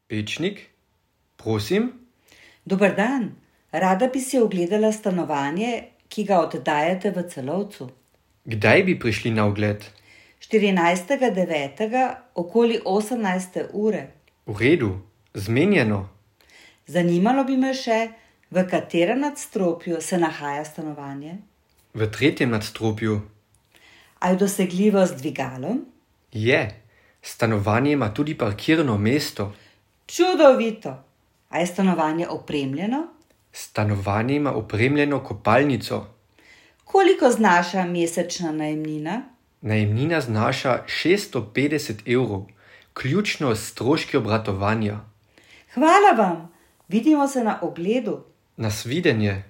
Pečnik? Prosim? Dober dan, rada bi si ogledala stanovanje, ki ga oddajate v Celovcu. Kdaj bi prišli na ogled? 14.9. okoli 18. ure. V redu, zmenjeno. Zanimalo bi me še, v katerem nadstropju se nahaja stanovanje. V 3. nadstropju. A je dosegljivo z dvigalom? Je. Stanovanje ima tudi parkirno mesto. Čudovito! A je stanovanje opremljeno? Stanovanje ima opremljeno kopalnico. Koliko znaša mesečna najemnina? Najemnina znaša 650 evrov, ključno s stroški obratovanja. Hvala vam, vidimo se na ogledu. Nasvidenje.